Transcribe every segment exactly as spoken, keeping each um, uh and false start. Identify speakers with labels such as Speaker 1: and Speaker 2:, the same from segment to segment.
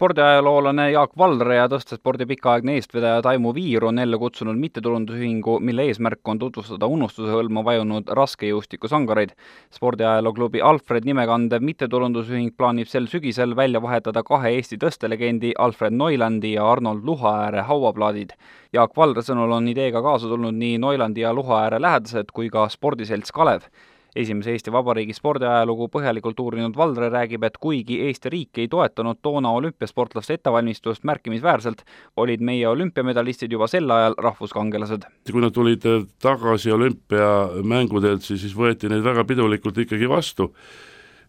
Speaker 1: spordiajaloolane Jaak Valre ja tõstespordi pikaaegne eestvedaja Taimo Viir on jälle kutsunud mittetulundusühingu, mille eesmärk on tutvustada unustuse hõlma vajunud raskejõustikusangareid. Spordiajalooklubi Alfred nimekandev mittetulundusühing plaanib sel sügisel välja vahetada kahe Eesti tõstelegendi Alfred Neulandi ja Arnold Luhaääre hauaplaadid. Jaak Valre sõnul on ideega kaasa tulnud nii Neulandi ja Luhaääre lähedased kui ka spordiselts Kalev. Esimese Eesti Vabariigi spordiajalugu põhjalikult uurinud Valre räägib, et kuigi Eesti riik ei toetanud toona olümpiasportlaste ettevalmistust märkimisväärselt, olid meie olümpiamedalistid juba sel ajal rahvuskangelased.
Speaker 2: Kui nad tulid tagasi olümpiamängudelt, siis võeti neid väga pidulikult ikkagi vastu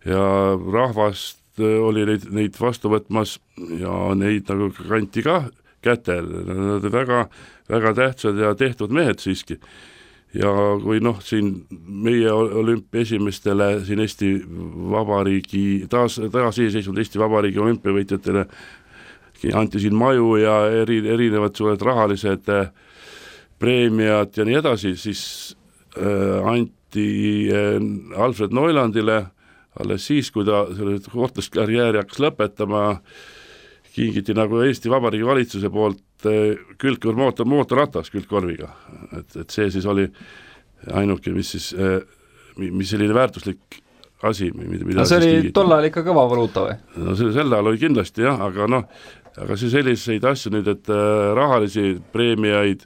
Speaker 2: ja rahvast oli neid, neid vastu võtmas ja neid nagu kanti ka kätel. Nad väga, väga tähtsad ja tehtud mehed siiski. Ja kui noh, siin meie olümpia esimestele siin Eesti Vabariigi, taas, taas iseseisvunud Eesti Vabariigi olümpiavõitjatele anti siin maju ja eri, erinevad suured rahalised preemiad ja nii edasi, siis äh, anti äh, Alfred Neulandile alles siis, kui ta selle sportlaskarjääri hakkas lõpetama, kingiti nagu Eesti Vabariigi valitsuse poolt külgkõr mootor, mootorratas külgkorviga. Et, et see siis oli ainuke, mis siis, mis selline väärtuslik asi. Mida
Speaker 1: see oli tol ajal ikka kõva valuuta või?
Speaker 2: No see, sel ajal oli kindlasti jah, aga noh, aga see selliseid asju nüüd, et rahalisi preemiaid,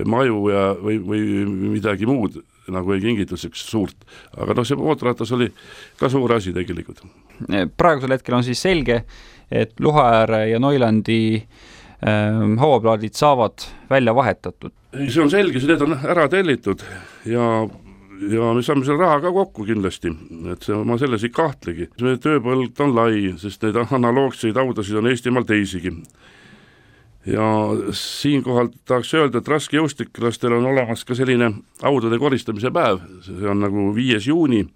Speaker 2: maju ja, või, või midagi muud nagu ei kingitud suurt. Aga noh, see mootorratas oli ka suur asi tegelikult.
Speaker 1: Praegusel hetkel on siis selge, et Luhaääre ja Neulandi hauaplaadid saavad välja vahetatud.
Speaker 2: See on selge, need on ära tellitud ja, ja me saame selle raha ka kokku kindlasti, et see, ma selles ei kahtlegi. See tööpõld on lai, sest neid analoogseid audasid on Eestimaal teisigi. Ja siinkohal tahaks öelda, et raskejõustiklastel on olemas ka selline audade koristamise päev, see on nagu viies juuni.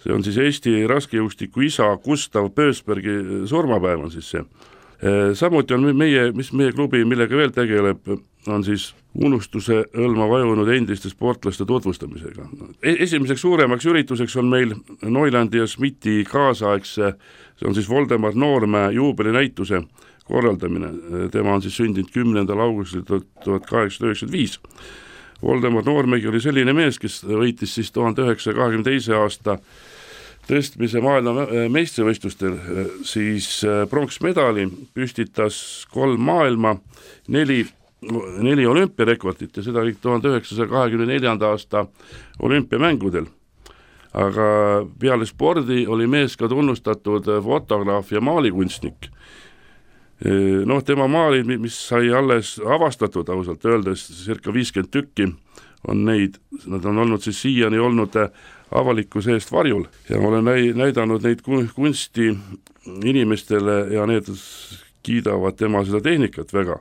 Speaker 2: See on siis Eesti raskejõustiku isa Gustav Pösbergi surmapäev on siis see. Samuti on meie, mis meie klubi, millega veel tegeleb, on siis unustuse hõlma vajunud endiste sportlaste tutvustamisega. Esimeseks suuremaks ürituseks on meil Neulandi ja Schmidti kaasaegse, see on siis Voldemar Noormäe juubelinäituse korraldamine. Tema on siis sündinud kümnendal augustil tuhat kaheksasada üheksakümmend viis. Voldemar Noormägi oli selline mees, kes võitis siis tuhande üheksasaja kahekümne teise aasta tõstmise maailma meistrivõistlustel, siis pronksmedali püstitas kolm maailma, neli, neli olümpiarekordit ja seda kõik tuhande üheksasaja kahekümne neljanda aasta olümpiamängudel. Aga peale spordi oli mees ka tunnustatud fotograaf ja maalikunstnik. Noh, tema maalid, mis sai alles avastatud ausalt öeldes, circa viiskümmend tükki on neid, nad on olnud siis siiani olnud avalikkuse eest varjul ja olen näidanud neid kunsti inimestele ja need kiidavad tema seda tehnikat väga.